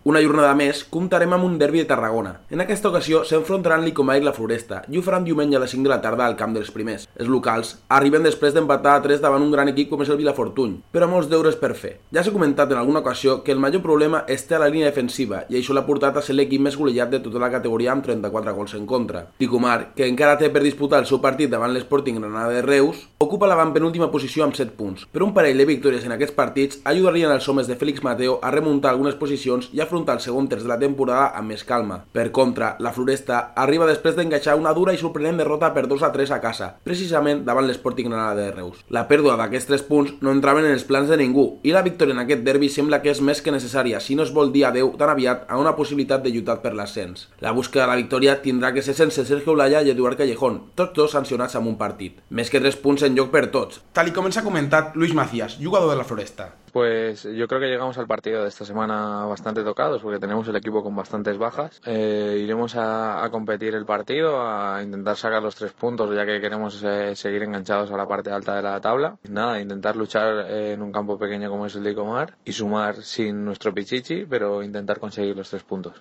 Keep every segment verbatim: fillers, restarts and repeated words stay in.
Una jornada més, comptarem amb un derbi de Tarragona. En aquesta ocasió s'enfrontaran l'Icomar i la Floresta i ho faran diumenge a les cinc de la tarda al camp dels primers. Els locals arriben després d'empatar a tres davant un gran equip com és el Vilafortuny, però molts deures per fer. Ja s'ha comentat en alguna ocasió que el major problema es té a la línia defensiva i això l'ha portat a ser l'equip més golejat de tota la categoria amb trenta-quatre gols en contra. L'Icomar, que encara té per disputar el seu partit davant l'Sporting Granada de Reus, ocupa l'avantpenúltima posició amb set punts. Per un parell de victòries en aquests partits ajudarien els homes de Félix Mateo a remuntar algunes posicions i afrontar el segon terç de la temporada amb més calma. Per contra, la Floresta arriba després d'encaixar una dura i sorprenent derrota per dos a tres a casa, precisament davant l'Sporting Granada de Reus. La pèrdua d'aquests tres punts no entraven en els plans de ningú i la victòria en aquest derbi sembla que és més que necessària si no es vol dir adeu tan aviat a una possibilitat de lluitar per l'ascens. La búsqueda de la victòria tindrà que ser sense Sergio Olaya i Eduard Callejón, tots dos sancionats amb un partit. Més que tres punts en joc per tots. Tal i com ens ha comentat Luis Macías, jugador de la Floresta. Pues yo creo que llegamos al partido de esta semana bastante tocados porque tenemos el equipo con bastantes bajas. Eh, iremos a, a competir el partido, a intentar sacar los tres puntos ya que queremos eh, seguir enganchados a la parte alta de la tabla. Nada, intentar luchar eh, en un campo pequeño como es el de Icomar y sumar sin nuestro pichichi, pero intentar conseguir los tres puntos.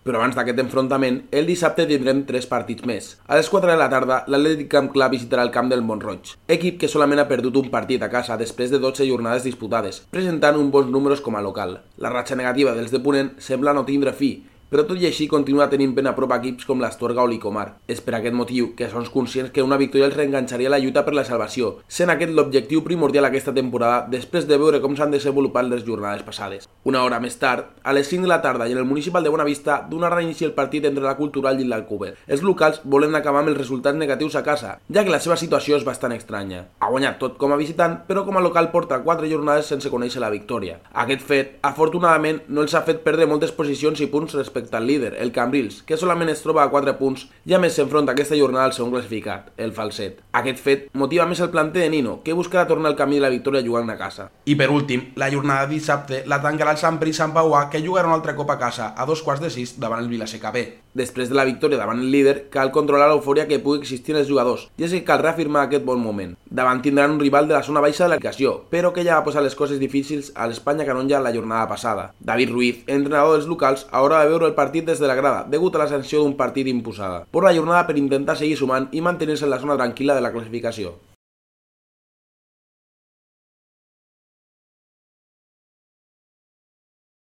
Però abans d'aquest enfrontament, el dissabte tindrem tres partits més. A les quatre de la tarda, l'Atlètic Camp Club visitarà el camp del Mont-roig, equip que solament ha perdut un partit a casa després de dotze jornades disputades, presentant uns bons números com a local. La ratxa negativa dels de Ponent sembla no tindre fi, però tot i així continua tenint ben a prop equips com l'Astorga o l'Icomar. És per aquest motiu que són conscients que una victòria els reenganxaria la lluita per la salvació, sent aquest l'objectiu primordial aquesta temporada després de veure com s'han desenvolupat les jornades passades. Una hora més tard, a les cinc de la tarda i en el municipal de Bonavista, donarà inici el partit entre la Cultural i l'Alcover. Els locals volen acabar amb els resultats negatius a casa, ja que la seva situació és bastant estranya. Ha guanyat tot com a visitant, però com a local porta quatre jornades sense conèixer la victòria. Aquest fet, afortunadament, no els ha fet perdre moltes posicions i punts respecte al líder, el Cambrils, que solament es troba a quatre punts i a més s'enfronta aquesta jornada al segon classificat, el Falset. Aquest fet motiva més el planter de Nino, que buscarà tornar al camí de la victòria jugant a casa. I per últim, la jornada de dissabte la tancarà el Sant Pere i Sant Pauà, que jugarà un altre cop a casa a dos quarts de sis davant el Vilaseca B. Després de la victòria davant el líder, cal controlar l'eufòria que pugui existir en els jugadors, i és que cal reafirmar aquest bon moment. Davant tindran un rival de la zona baixa de la classificació, però que ja va posar les coses difícils a l'Espanya Canonja la jornada passada. David Ruiz, entrenador dels locals, haurà de veure el partit des de la grada, degut a la sanció d'un partit imposada. Por la jornada per intentar seguir sumant i mantenir-se en la zona tranquil·la de la classificació.